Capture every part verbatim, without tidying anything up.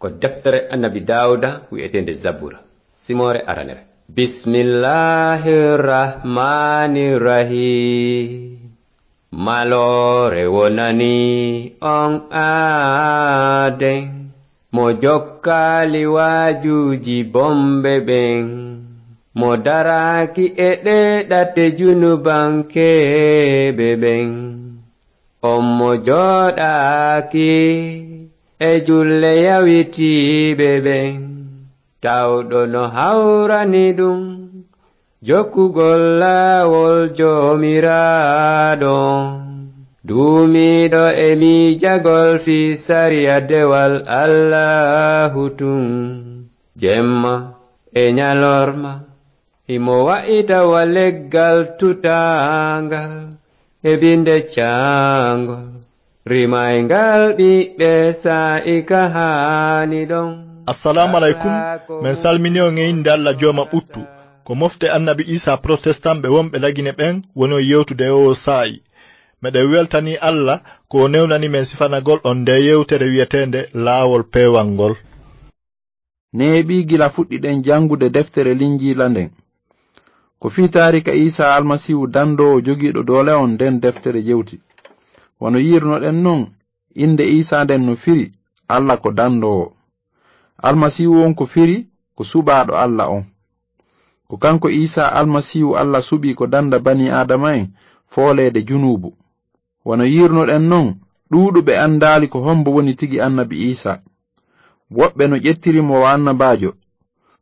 Ko deftere Annabi Daawuda wi'eteende Zabura, simoore aranere. Bismillahir Rahmanir Rahim. Maloore wonani on aaden, mo jokkaali waajuuji bomɓe ɓen, mo daraaki e ɗee ɗate junubankeeɓe ɓen. On mo jooɗaaki e julle yawitiiɓe ɓen, tawɗo no hawrani ɗum jokkugol laawol Joomiraaɗo, duumiiɗo e miijagol fii sariya dewal Allaahu tun, jemma e ñalorma. Himo wa'ita wa leggal tutaangal e binde caangol, rimayngal ɓiɓɓe saa'i ka haani ɗon. Assalamu alaikum. Men salmini on e innde Allah jooma ɓuttu. Ko mofte Annabi Isa protestanɓe wonɓe Lagine ɓen woni on yewtude e oo saa'i. Meɗen weltanii Allah ko o newnani men sifanagol on ndee yewtere wi'eteende Laawol Peewal ngol. Neeɓii gila fuɗɗiɗen janngude deftere Linjiila nden. Ko fii taarika Iisaa Almasiihu danndoowo jogiiɗo doole on nden deftere jewti. Wano yi'irnoɗen non, innde Iisaa nden no firi Alla ko danndoowo. Almasiihu on ko firi ko suɓaaɗo Alla on. Ko kanko Iisaa Almasiihu Alla suɓii ko dannda banii Aadama'en fooleede junuubu. Wano yi'irnoɗen non, ɗuuɗuɓe anndaali ko hombo woni tigi Annabi Iisaa. Woɓɓe no ƴettiri mo wa annabaajo,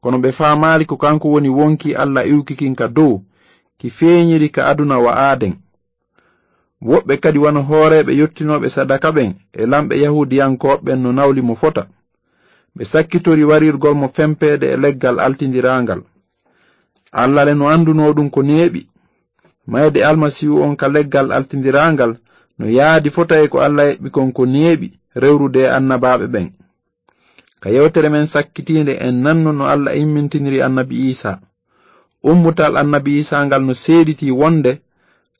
kono ɓe faamaali ko kanko woni wonkii Alla iwki kin ka dow, ki feeñiri ka aduna wa aaden. Woɓɓe kadi wano hooreeɓe yottinooɓe sadaka ɓen e lamɓe Yahuudiyankooɓe ɓen no nawli mo fota. Ɓe sakkitori warirgol mo fempeede e leggal altindiraangal. Alla le no anndunoo ɗum ko neeɓi. Mayde Almasiihu on ka leggal altindiraangal no yaadi fota e ko Alla eɓɓi kon ko neeɓi rewrude e annabaaɓe ɓen. Ka yewtere men sakkitiinde, en nanno no Alla immintiniri Annabi Iisaa. Ummutal Annabi Iisaa ngal no seeditii wonde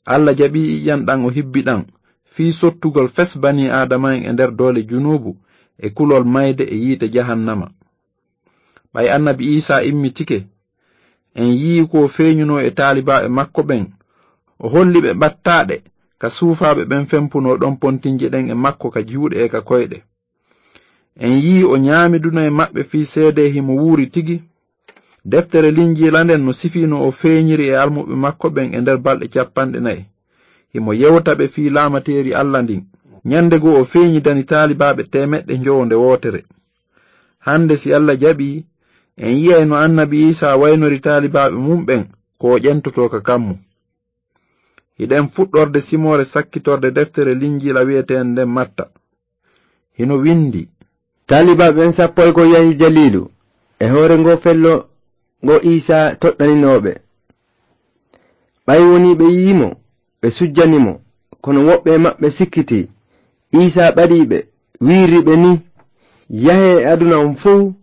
Alla jaɓii ƴiƴan ɗan o hibbi ɗan fii sottugol fes banii Aadama'en e nder doole junuubu e kulol mayde e yiite jahannama. Ɓay Annabi Iisaa immitike, en yi'ii ko o feeñunoo e taalibaaɓe makko ɓen, o holli ɓe ɓattaaɗe ka suufaaɓe ɓen fempunoo ɗon pontinje ɗen e makko ka juuɗe e ka koyɗe. En yi'ii o ɲaami duna e maɓɓe fii seedee himo wuuri tigi. Deftere Linjiila nden no sifii no o feeɲiri e almuɓɓe makko ɓen e nder balɗe cappanɗe nayi. Himo yewta ɓe fii laamateeri Alla ndin. Ɲande goo o feeɲidani taalibaaɓe teemeɗɗe njowo nde wootere. Hande si Alla jaɓii, en yi'ay no Annabi Iisaa waynori taalibaaɓe mun ɓen ko o ƴentotoo ka kammu. Hiɗen fuɗɗorde simoore sakkitorde deftere Linjiila wi'eteende nden Matta. Hino windi. Taalibaaɓe ɓen sappo e goo yahi Jaliilu, e hoore ngoo fello ngo Iisaa toɗɗaninoo ɓe. Ɓay wonii ɓe yi'ii mo, ɓe sujjani mo, kono woɓɓe e maɓɓe sikkitii. Iisaa ɓadii ɓe, wi'iri ɓe nii, "Yahee e aduna on fow,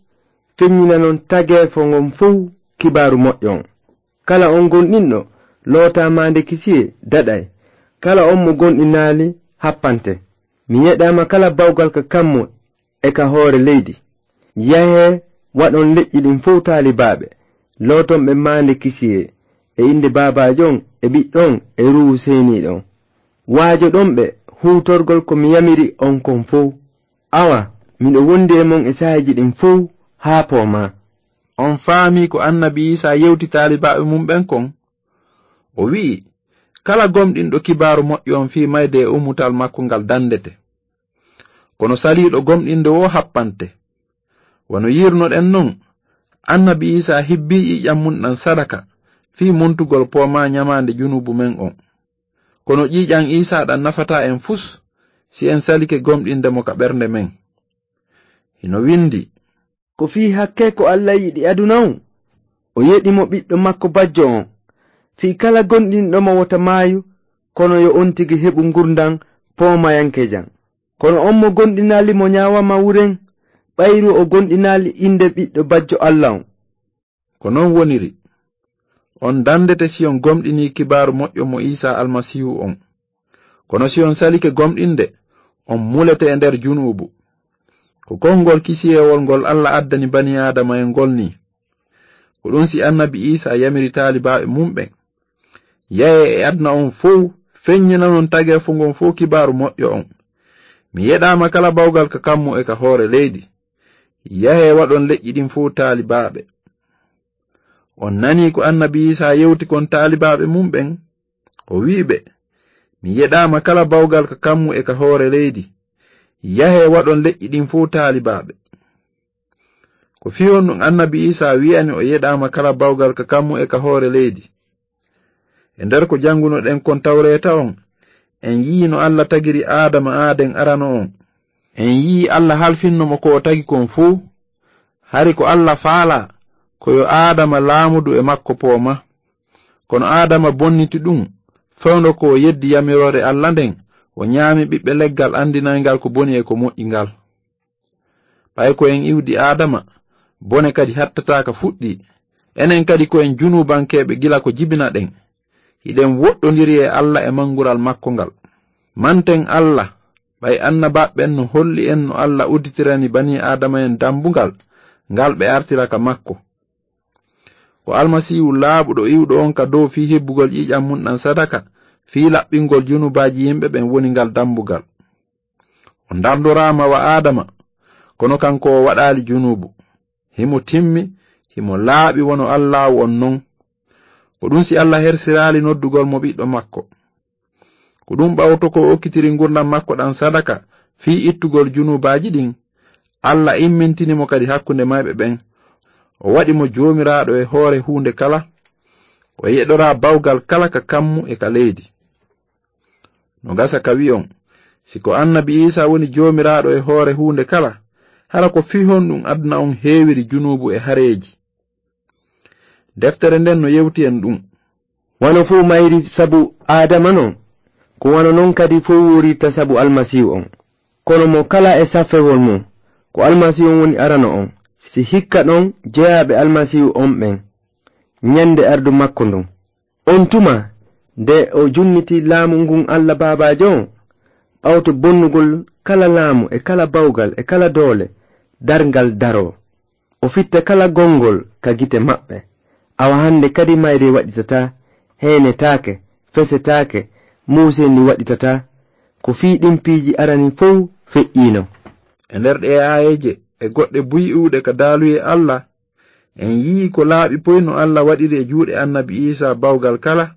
feɲɲinanon tageefo ngon fow Kibaaru Moƴƴo on. Kala on gomɗinɗo lootaa maande kisiyee daɗay. Kala on mo gomɗinaali happante. Mi yeɗaama kala bawgal ka kammu e ka hoore leydi. Yahee, waɗon leƴƴi ɗin fow taalibaaɓe, looton ɓe maande kisiyee, e innde Baabaajo on, e Ɓiɗɗo on, e Ruuhu Seniiɗo on. Waajoɗon ɓe huutorgol ko mi yamiri on kon fow. Awa, miɗo wondi e mon e saa'iiji ɗin fow haa poomaa." On faamii ko Annabi Iisaa yewti taalibaaɓe mun ɓen kon? O wi'i, "Kala gomɗinɗo Kibaaru Moƴƴo on fii mayde e ummutal makko ngal dandete. Kono saliiɗo gomɗinde woo happante." Wano yi'irnoɗen non, Annabi Iisaa hibbii ƴiiƴan mun ɗan sadaka fii muntugol poomaa ɲamaande junuubu men on. Kono ƴiiƴan Iisaa ɗan nafataa en fus si en salike gomɗinde mo ka ɓernde men. Hino windi. Ko fii hakkee ko Alla yiɗi aduna on, o yeɗi mo Ɓiɗɗo makko bajjo on, fii kala gomɗinɗo mo wota maayu, kono yo on tigi heɓu ngurndan poomayankejan. Kono on mo gomɗinaali mo ɲaawaama wuren, ɓayru o gomɗinaali innde Ɓiɗɗo bajjo Alla on. Ko non woniri. On dandete si on gomɗinii Kibaaru Moƴƴo mo Iisaa Almasiihu on. Kono si on salike gomɗinde, on mulete e nder junuubu. Ko konngol kisiyewol ngol Alla addani bani Aadama en ngol nii. Ko ɗum si Annabi Iisaa yamiri taalibaaɓe mum ɓen, "Yahee e aduna on fow, feññinanon tageefo ngon fow kibaaru moƴƴo on. Mi yeɗaama kala bawgal ka kammu e ka hoore leydi. Yahee waɗon leƴƴi ɗin fow taalibaaɓe." On nanii ko Annabi Iisaa yewti kon taalibaaɓe mum ɓen? O wi'i ɓe, "Mi yeɗaama kala bawgal ka kammu e ka hoore leydi. Yahee waɗon leƴƴi ɗin fow taalibaaɓe." Ko fii honɗum Annabi Iisaa wi'ani o yeɗaama kala bawgal ka kammu e ka hoore leydi? E nder ko janngunoɗen kon Tawreeta on, en yi'i no Alla tagiri Aadama aaden arano on. En yi'i Alla halfinno mo ko o tagi kon fow. Hari ko Alla faalaa, ko yo Aadama laamudu e makko poomaa. Kono Aadama bonniti ɗum, fewndo ko o yeddi yamiroore Alla nden, o ñaami ɓiɓɓe leggal anndinayngal ko boni e ko moƴƴi ngal. Ɓay ko en iwdi Aadama, bone kadi hattataa ka fuɗɗii. Enen kadi ko en junuubankeeɓe gila ko jibinaɗen. Hiɗen woɗɗondiri e Alla e manngural makko ngal. Manten Alla, ɓay annabaaɓe ɓen no holli en no Alla udditirani banii Aadama en dambugal, ngal ɓe artira ka makko. Ko Almasiihu laaɓuɗo iwɗo on ka dow fii hebbugol ƴiiƴan mun ɗan sadaka, fii laɓɓingol junubaaji yimɓe ɓen woni ngal dambugal. O ndardoraama wa Aadama, kono kanko o waɗaali junuubu. Himo timmi, himo laaɓi wano Allaahu on non. Ko ɗum si Alla hersiraali noddugol mo ɓiɗɗo makko. Ko ɗum ɓawto ko o okkitiri ngurndan makko ɗan sadaka fii ittugol junubaaji ɗin. Alla immintini mo kadi hakkunde mayɓe ɓen. O waɗi mo joomiraaɗo e hoore huunde kala. O yeɗoraa bawgal kala ka kammu e ka leydi. No gasa ka wi'on, si ko Annabi Iisaa woni joomiraaɗo e hoore huunde kala, hara ko fii honɗum aduna on heewiri junuubu e hareeji? Deftere nden no yewti en ɗum. Wano fuu mayri sabu Aadama non, ko wano non kadi fuu wuurirta sabu Almasiihu on. Kono mo kala e safewol mum, ko Almasiihu on woni arano on, si hikka ɗon jeyaaɓe Almasiihu on ɓen, ñande ardu makko ndun. On tuma, nde o junniti laamu ngun Alla Baabaajo on, ɓawto bonnugol kala laamu e kala bawgal e kala doole, darngal daroo. O fitta kala gonngol ka gite maɓɓe. Awa hannde kadi mayre waɗitataa, heenetaake, fesetaake, muuseendi waɗitataa. Ko fii ɗin piiji arani fow feƴƴiino. E nder ɗee aayeeje e goɗɗe buy iwuɗe ka daaluyee Alla, en yi'ii ko laaɓi poy no Alla waɗiri e juuɗe Annabi Iisaa bawgal kala,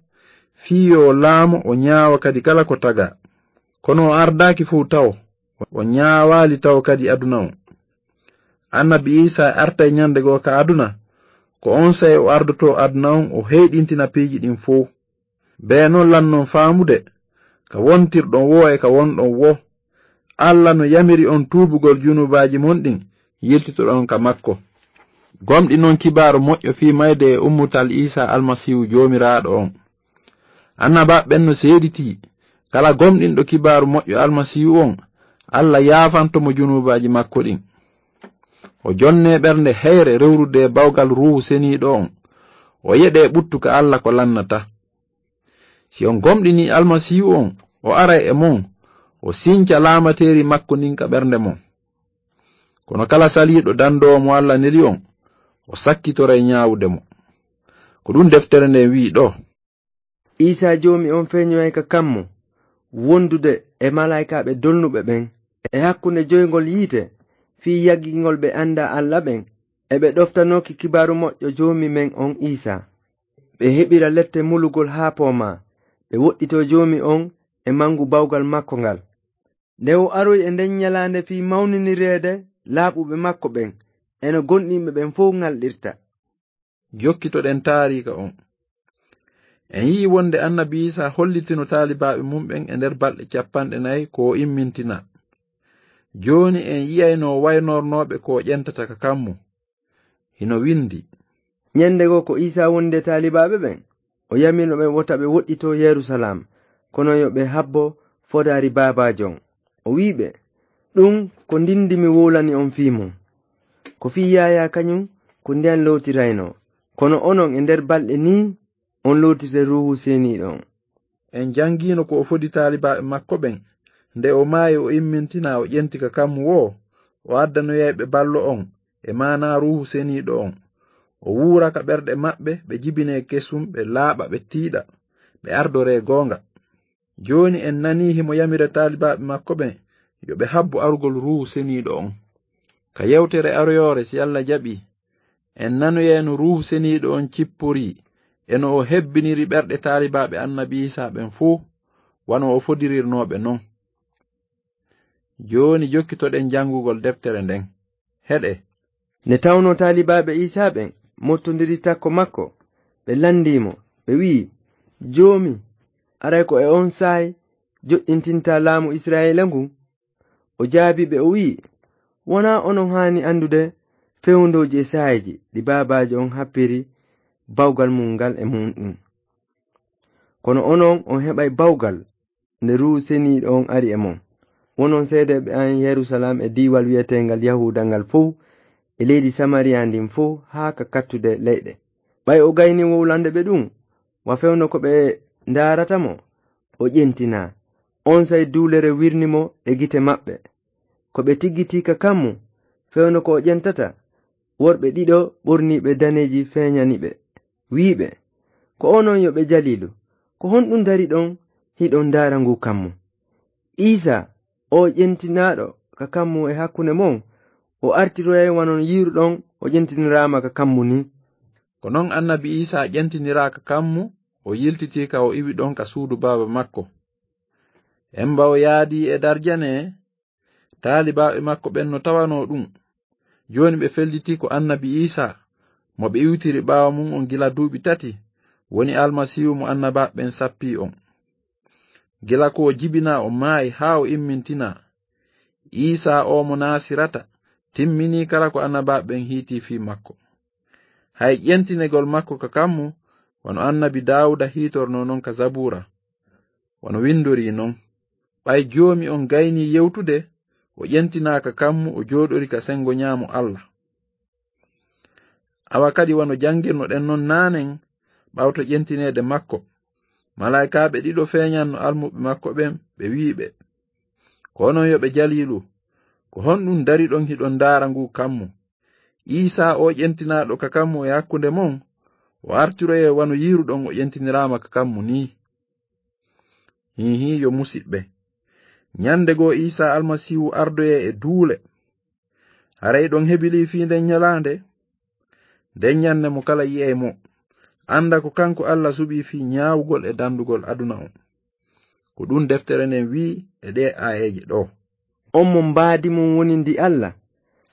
fii yo o laamo, o ñaawa kadi kala ko tagaa. Kono o ardaaki fow tawo, o ñaawaali tawo kadi aduna on. Annabi Iisaa artay ñande goo ka aduna, ko onsay o ardotoo aduna on, o heyɗintina piiji ɗin fow. Bee non lannon faamude, ka wontirɗon woo e ka wonɗon woo, Alla no yamiri on tuubugol junubaaji mon ɗin, yiltitoɗon ka makko. Gomɗinon kibaaru moƴƴo fii mayde e ummutal Iisaa Almasiihu Joomiraaɗo on. Annabaaɓe ɓen no seeditii, kala gomɗinɗo kibaaru moƴƴo Almasiihu on, Alla yaafanto mo junubaaji makko ɗin. O jonnee ɓernde heyre rewrude e bawgal Ruuhu Seniiɗo on. O yeɗee ɓuttu ka Alla ko lannataa. Si on gomɗinii Almasiihu on, o aray e mon, o sinca laamateeri makko ndin ka ɓernde mon. Kono kala saliiɗo dandoowo mo Alla neli on, o sakkitoray ñaawude mo. Ko ɗum deftere nden wi'i ɗoo. Iisaa Joomi on feeñoyay ka kammu, wondude e malaa'ikaaɓe dolnuɓe ɓen, e hakkunde joyngol yiite, fii yaggingol ɓe andaa Alla ɓen, e ɓe ɗoftanooki kibaaru moƴƴo Joomi men on Iisaa. Ɓe heɓira lette mulugol haa poomaa, ɓe woɗɗitoo Joomi on e mangu bawgal makko ngal. Nde o aroy e nden ñalaande fii mawninireede laaɓuɓe makko ɓen, e no gomɗinɓe ɓen fow ŋalɗirta. Jokkitoɗen taariika on. En yi'i wonde Annabi Iisaa hollitino taalibaaɓe mum ɓen e nder balɗe capanɗe nayi ko o immintinaa. Jooni en yi'ay no o waynornoo ɓe ko o ƴentata ka kammu. Hino windi. Ñande goo ko Iisaa wondi e taalibaaɓe ɓen, o yamirno ɓe wota ɓe woɗɗitoo Yerusalaam, kono yo ɓe habbo fodaari Baabaajo on. O wi'i ɓe, "Ɗum ko ndin ndi mi wowlani on fii mun. Ko fii Yaayaa kañum ko ndiyan lootiraynoo, kono onon e nder balɗe nii on lootirte Ruuhu Seniiɗo on." En jangiino ko o fodi taalibaaɓe makko ɓen, nde o maayi o immintinaa o ƴenti ka kammu woo, o addanoyay ɓe ballo on, e maanaa Ruuhu Seniiɗo on. O wuura ka ɓerɗe maɓɓe, ɓe jibinee kesum, ɓe laaɓa, ɓe tiiɗa, ɓe ardoree goonga. Jooni en nanii himo yamira taalibaaɓe makko ɓen yo ɓe habbu arugol Ruuhu Seniiɗo on. Ka yewtere aroyoore, si Alla jaɓii, en nanoyay no Ruuhu Seniiɗo on cipporii, e no o hebbiniri ɓerɗe taalibaaɓe Annabi Iisaa ɓen fow, wano o fodirirnoo ɓe non. Jooni jokkitoɗen janngugol deftere nden. Heɗee. Nde tawnoo taalibaaɓe Iisaa ɓen mottondiri takko makko, ɓe lanndii mo, ɓe wi'i, "Joomi, aray ko e on saa'i joɗɗintintaa laamu Israa'iila ngun?" O jaabii ɓe, o wi'i, "Wonaa onon haani anndude fewndooji e saa'iiji ɗi baabaajo on happiri bawgal mun ngal e mun ɗun. Kono onon, on heɓay bawgal nde Ruuhu Seniiɗo on ari e mon. Wonon seedeeɓe an Yerusalaam e diiwal wi'eteengal Yahuuda ngal fow, e leydi Samariya ndin fow, haa ka kattude leyɗe." Ɓay o gaynii wowlande ɓe ɗun, wa fewndo ko ɓe ndaarata mo, o ƴentinaa. Onsay duulere wirni mo e gite maɓɓe. Ko ɓe tiggitii ka kammu, fewndo ko o ƴentata, worɓe ɗiɗo ɓorniiɓe daneeji feeñani ɓe, wi'i ɓe, "Ko onon yo ɓe Jaliilu, ko honɗun dari ɗon hiɗon ndaara nguu kammu? Iisaa, oo ƴentinaaɗo ka kammu e hakkunde mon, o artiroyay wano yiiruɗon o ƴentiniraama ka kammu nii." Ko non Annabi Iisaa ƴentiniraa ka kammu, o yiltitii ka o iwi ɗon ka suudu baaba makko. Emba o yaadii e darjane, taalibaaɓe makko ɓen no tawanoo ɗun. Jooni ɓe fellitii ko Annabi Iisaa, mo ɓe iwtiri ɓaawo mun on gila duuɓi tati, woni Almasiihu mo annabaaɓe ɓen sappii on. Gila ko o jibinaa, o maayi haa o immintinaa. Iisaa oo mo Naasirata timminii kala ko annabaaɓe ɓen hiitii fii makko. Hay ƴentinegol makko ka kammu, wano Annabi Daawuda hiitornoo non ka Zabuura, wano windorii non, "Ɓay Joomi on gaynii yewtude, o ƴentinaa ka kammu, o jooɗori ka sengo ɲaamo Alla." Awa kadi, wano janngirnoɗen non naanen, ɓawto ƴentineede makko, malaa'ikaaɓe ɗiɗo feeɲanno almuɓɓe makko ɓen, ɓe wi'i ɓe, "Ko onon yo ɓe Jaliilu, ko honɗun dariɗon hiɗon ndaara nguu kammu? Iisaa oo ƴentinaaɗo ka kammu e hakkunde mon, o artiroyay wano yiiruɗon o ƴentiniraama ka kammu nii." Hiihii, yo musiɓɓe. Ɲande goo Iisaa Almasiihu ardoyay e duule. Haray hiɗon hebilii fii nden ɲalaande? Nden ɲande mo kala yi'ay mo, annda ko kanko Alla suɓii fii ɲaawugol e dandugol aduna on. Ko ɗun deftere nden wi'i e ɗee aayeeje ɗoo. On mo mbaadi mun woni ndi Alla,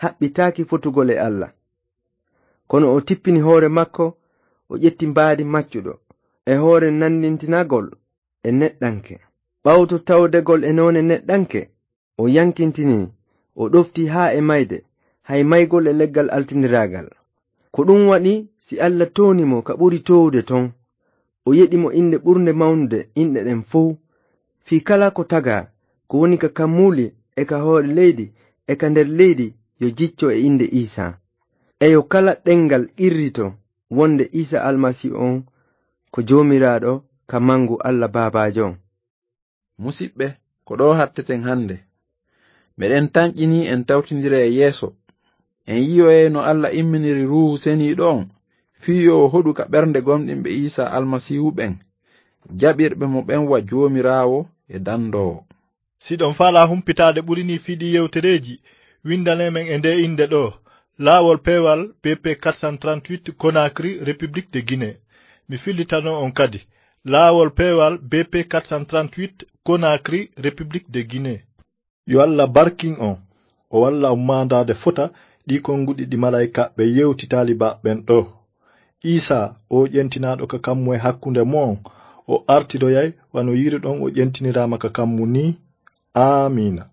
haɓɓitaaki fotugol e Alla. Kono o tippini hoore makko, o ƴetti mbaadi maccuɗo, e hoore nandintinagol e neɗɗanke. Ɓawto tawdegol e noone neɗɗanke, o yankintinii, o ɗoftii haa e mayde, hay maygol e leggal altindiraagal. Ko ɗun waɗi, si Alla tooni mo ka ɓuri toowude ton, o yeɗi mo innde ɓurnde mawnude inɗe ɗen fow, fii kala ko tagaa, ko woni ka kammuuli e ka hoore leydi e ka nder leydi, yo jicco e innde Iisaa. E yo kala ɗenngal qirrito wonde Iisaa Almasiihu on ko Joomiraaɗo ka mangu Alla Baabaajo on. Musiɓɓe, ko ɗoo hatteten hannde. Meɗen tanƴinii en tawtindira e yeeso. En yi'oyay no Alla imminiri Ruuhu Seniiɗo on, fii yo o hoɗu ka ɓernde gomɗinɓe Iisaa Almasiihu ɓen, jaɓirɓe mo ɓen wa Joomiraawo e dandoowo. Si hiɗon faalaa humpitaade ɓuri nii fii ɗii yewtereeji, winndanee men e ndee innde ɗoo, Laawol Peewal B P quatre cent trente-huit, Conakry, République de Guinée. Mi fillitano on kadi, Laawol Peewal B P quatre cent trente-huit, Conakry, République de Guinée. Yo Alla barkin on, o walla on maandaade fota ɗii konnguɗi ɗi malaa'ikaaɓe yewti taalibaaɓe ɓen ɗoo. Iisaa, oo ƴentinaaɗo ka kammu e hakkunde mon, o artiroyay wano yiiruɗon o ƴentiniraama ka kammu nii. Aamiina.